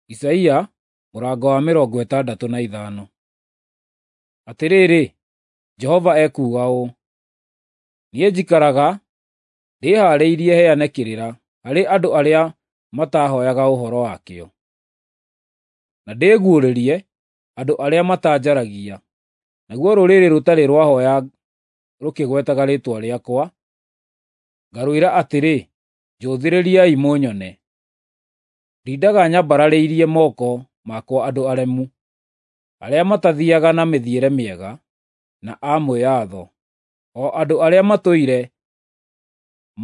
Isaia mũrango wa 65. Atĩrĩrĩ, Jehova ekuuga ũũ: Niĩ njikaraga ndĩhaarĩirie heane kĩrĩra harĩ andũ arĩa matahooyaga ũhoro wakĩo, na ndĩguũrĩrie andũ arĩa matanjaragia. Naguo rũrĩrĩ rũtarĩ rwahooya rũkĩgwetaga rĩĩtwa rĩakwa, ngarwĩra atĩrĩ, ‘Njũthĩrĩriai mũnyone.’ Ndindaga nyambararĩirie moko makwa andũ aremu, arĩa matathiiaga na mĩthiĩre mĩega, na a mwĩatho, o andũ arĩa matũire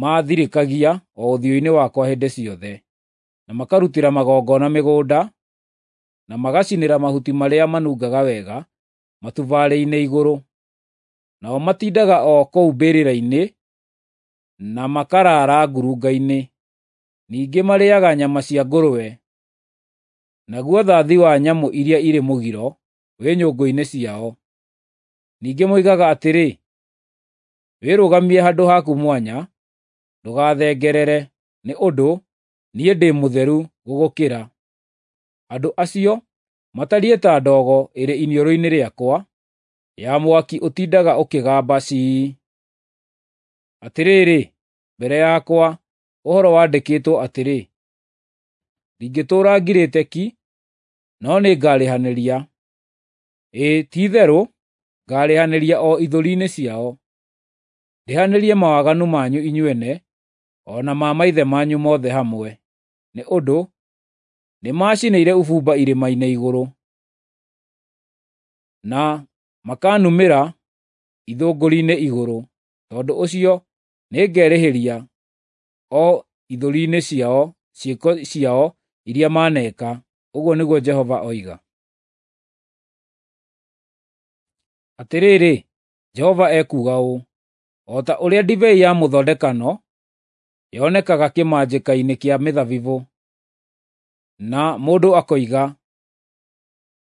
maathirĩkagia o ũthiũ-inĩ wakwa hĩndĩ ciothe, na makarutĩra magongona mĩgũnda, na magacinĩra mahuti marĩa manungaga wega matubarĩ-inĩ igũrũ. Nao matindaga o kũu mbĩrĩra-inĩ, na makaraara ngurunga-inĩ. Ningĩ marĩĩaga nyama cia ngũrwe, naguo thathi wa nyamũ iria irĩ mũgiro wĩ nyũngũ-inĩ ciao. Ningĩ moigaga atĩrĩ, ‘Wĩrũgamie handũ haku mwanya, ndũgathengerere, nĩ ũndũ niĩ ndĩ mũtheru gũgũkĩra.’ Andũ acio matariĩ ta ndogo ĩrĩ iniũrũ-inĩ rĩakwa, ya mwaki ũtindaga ũkĩgamba cii. Atĩrĩrĩ, mbere yakwa ũhoro wandĩkĩtwo atĩrĩ: ndingĩtũũra ngirĩte ki, no nĩngarĩhanĩria, ĩĩ, ti-itherũ ngaarĩhanĩria o ithũri-inĩ ciao, ndĩhanĩrie mawaganu manyu inyuene o na ma maithe manyu mothe hamwe, nĩ ũndũ nĩmacinĩire ũbumba irĩma-inĩ igũrũ, na makanumĩra ithũngũri-inĩ igũrũ. Tondũ ũcio nĩngerĩhĩria o ithũri-inĩ ciao ciĩko ciao iria maneeka, ũguo nĩguo Jehova oiga. Atĩrĩrĩ, Jehova ekuuga ũũ: O ta ũrĩa ndibei ya mũthondekano yonekaga kĩmanjĩka-inĩ kĩa mĩthabibũ, na mũndũ akoiga,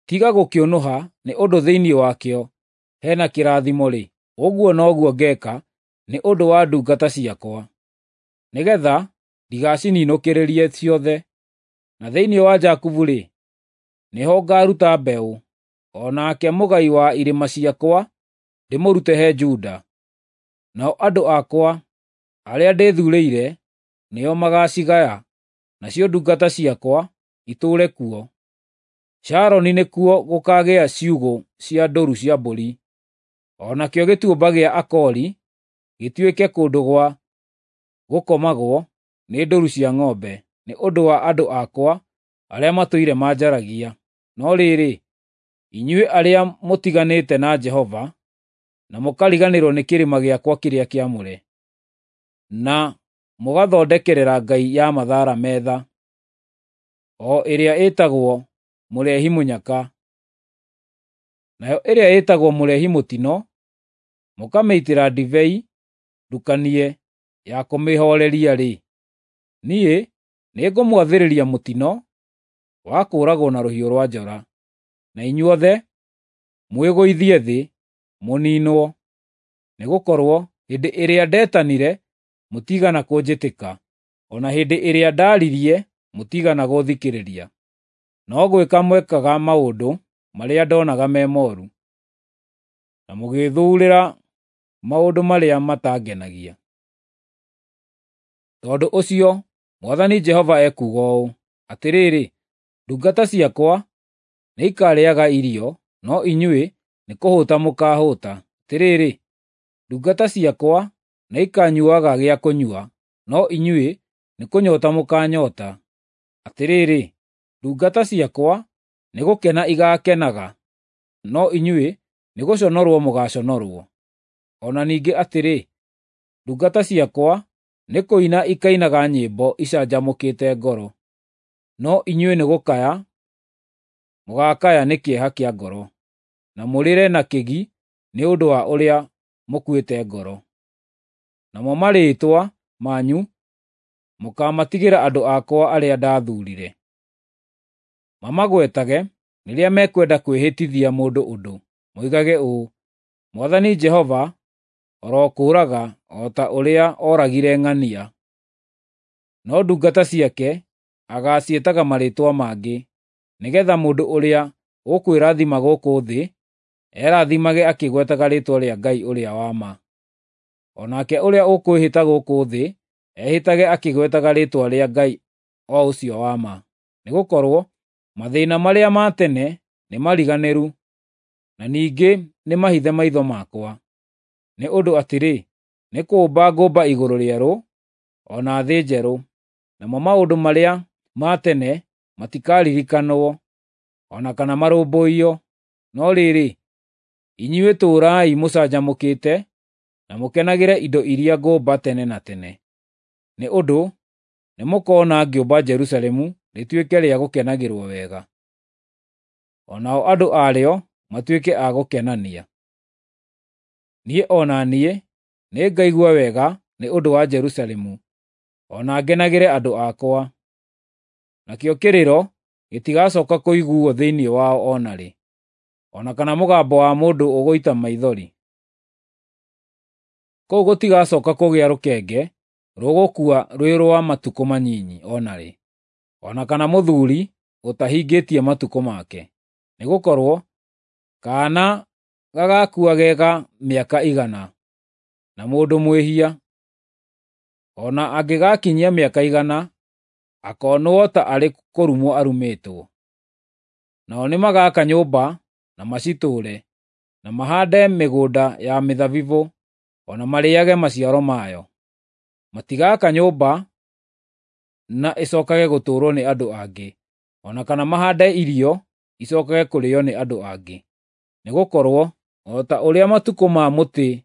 ‘Tiga gũkĩũnũha nĩ ũndũ thĩinĩ wakĩo he na kĩrathimo-rĩ,’ ũguo noguo ngeeka nĩ ũndũ wa ndungata ciakwa, nĩgeetha ndigacininũkĩrĩrie ciothe. Na thĩinĩ wa Jakubu-rĩ, nĩho ngaaruta mbeũ, o nake mũgai wa irĩma ciakwa ndĩmũrute he Juda. Nao andũ akwa arĩa ndĩthuurĩire nĩo magaacigaya, nacio ndungata ciakwa itũũre kuo. Sharoni nĩkuo gũkaagĩa ciugũ cia ndũũru cia mbũri, o nakĩo Gĩtuamba gĩa Akori gĩtuĩke kũndũ gwa gũkomagwo nĩ ndũũru cia ng'ombe, nĩ ũndũ wa andũ akwa arĩa matũire manjaragia. No rĩrĩ, inyuĩ arĩa mũtiganĩte na Jehova, na mũkariganĩrwo nĩ kĩrĩma gĩakwa kĩrĩa kĩamũre, na mũgathondekerera ngai ya Mathara metha, o ĩrĩa ĩtagwo Mũreehi-mũnyaka, nayo ĩrĩa ĩtagwo Mũreehi-mũtino mũkamĩitĩra ndibei ndukanie ya kũmĩhooreria-rĩ, niĩ nĩngũmwathĩrĩria mũtino wa kũũragwo na rũhiũ rwa njora, na inyuothe mwĩgũithie thĩ mũniinwo. Nĩgũkorwo hĩndĩ ĩrĩa ndetanire mũtiigana kũnjĩtĩka, o na hĩndĩ ĩrĩa ndaaririe mũtiigana gũũthikĩrĩria. No gwĩka mwekaga maũndũ marĩa ndoonaga me mooru, na mũgĩĩthuurĩra maũndũ marĩa matangenagia. Tondũ ũcio Mwathani Jehova ekuuga ũũ: Atĩrĩrĩ, ndungata ciakwa nĩikarĩĩaga irio, no inyuĩ nĩkũhũta mũkaahũta. Atĩrĩrĩ, ndungata ciakwa nĩikanyuuaga gĩa kũnyua, no inyuĩ nĩkũnyoota mũkaanyoota. Atĩrĩrĩ, ndungata ciakwa nĩgũkena igaakenaga, no inyuĩ nĩgũconorwo mũgaaconorwo. O na ningĩ atĩrĩ, ndungata ciakwa nĩkũina ikainaga nyĩmbo icanjamũkĩte ngoro, no inyuĩ nĩgũkaya mũgaakaya nĩ kĩeha kĩa ngoro, na mũrĩre na kĩgi nĩ ũndũ wa ũrĩa mũkuĩte ngoro. Namo marĩĩtwa manyu mũkaamatigĩra andũ akwa arĩa ndathuurire, mamagwetage rĩrĩa mekwenda kwĩhĩtithia mũndũ ũndũ, moigage ũũ, ‘Mwathani Jehova arokũũraga o ta ũrĩa ooragire ng'ania.’ No ndungata ciake agaaciĩtaga marĩĩtwa mangĩ. nĩgeetha mũndũ ũrĩa ũkwĩrathima gũkũ thĩ erathimage akĩgwetaga rĩĩtwa rĩa Ngai ũrĩa wa ma. O nake ũrĩa ũkwĩhĩta gũkũ thĩ ehĩtage akĩgwetaga rĩĩtwa rĩa Ngai o ũcio wa ma. Nĩgũkorwo mathĩĩna marĩa ma tene nĩmariganĩru, na ningĩ nĩmahithe maitho makwa. Nĩ ũndũ atĩrĩ, nĩ kũũmba ngũmba igũrũ rĩerũ o na thĩ njerũ, namo maũndũ marĩa ma tene matikaririkanwo o na kana marũmbũiyo. No rĩrĩ, inyuĩ tũũrai mũcanjamũkĩte na mũkenagĩre indo iria ngũmba tene na tene. Nĩ ũndũ nĩmũkona ngĩũmba Jerusalemu rĩtuĩke rĩa gũkenagĩrwo wega, o nao andũ arĩo matuĩke a gũkenania. Niĩ o na niĩ nĩngaigua wega nĩ ũndũ wa Jerusalemu, o na ngenagĩre andũ akwa. Nakĩo kĩrĩro gĩtigacooka kũiguuo thĩinĩ wao o na rĩ, o na kana mũgambo wa mũndũ ũgũita maithori. Kũu gũtigacooka kũgĩa rũkenge rũgũkua rwĩ rwa matukũ manyinyi o na rĩ, o na kana mũthuuri ũtahingĩtie matukũ make. Nĩgũkorwo kaana gagaakua ge ga mĩaka 100, na mũndũ mwĩhia, o na angĩgaakinyia mĩaka 100, akoonwo ta arĩ kũrumwo arumĩtwo. Nao nĩmagaka nyũmba na macitũũre, na mahaande mĩgũnda ya mĩthabibũ, o na marĩĩage maciaro mayo. Matigaaka nyũmba na ĩcookage gũtũũrwo nĩ andũ angĩ, o na kana mahaande irio icookage kũrĩĩo nĩ andũ angĩ. Nĩgũkorwo o ta ũrĩa matukũ ma mũtĩ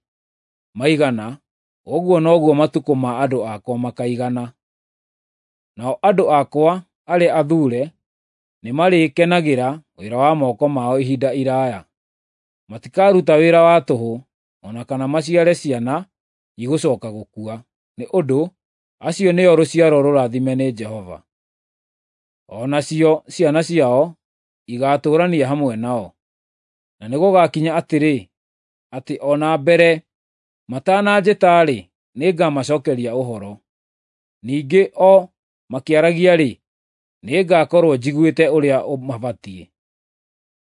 maigana, ũguo noguo matukũ ma andũ akwa makaigana. Nao andũ akwa arĩa athuure nĩmarĩkenagĩra wĩra wa moko mao ihinda iraaya. Matikaruta wĩra wa tũhũ, o na kana maciare ciana igũcooka gũkua, nĩ ũndũ acio nĩo rũciaro rũrathime nĩ Jehova. O nacio ciana ciao igaatũũrania hamwe nao. Na nĩgũgakinya atĩrĩ, atĩ o na mbere matananjĩta-rĩ, nĩngamacookeria ũhoro. Ningĩ o makĩaragia-rĩ, nĩngakorwo njiguĩte ũrĩa mabatiĩ.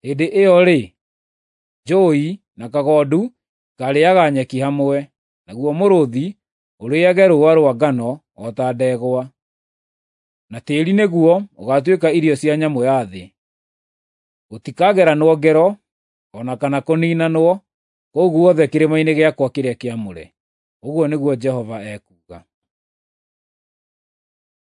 Hĩndĩ ĩyo-rĩ, njũũi na kagondu ikaarĩĩaga nyeki hamwe, naguo mũrũũthi ũrĩĩage rũũa rwa ngano o ta ndegwa, na tĩĩri nĩguo ũgaatuĩka irio cia nyamũ ya thĩ. Gũtikageranwo ngero o na kana kũniinanwo kũu guothe kĩrĩma-inĩ gĩakwa kĩrĩa kĩamũre," ũguo nĩguo Jehova ekuuga.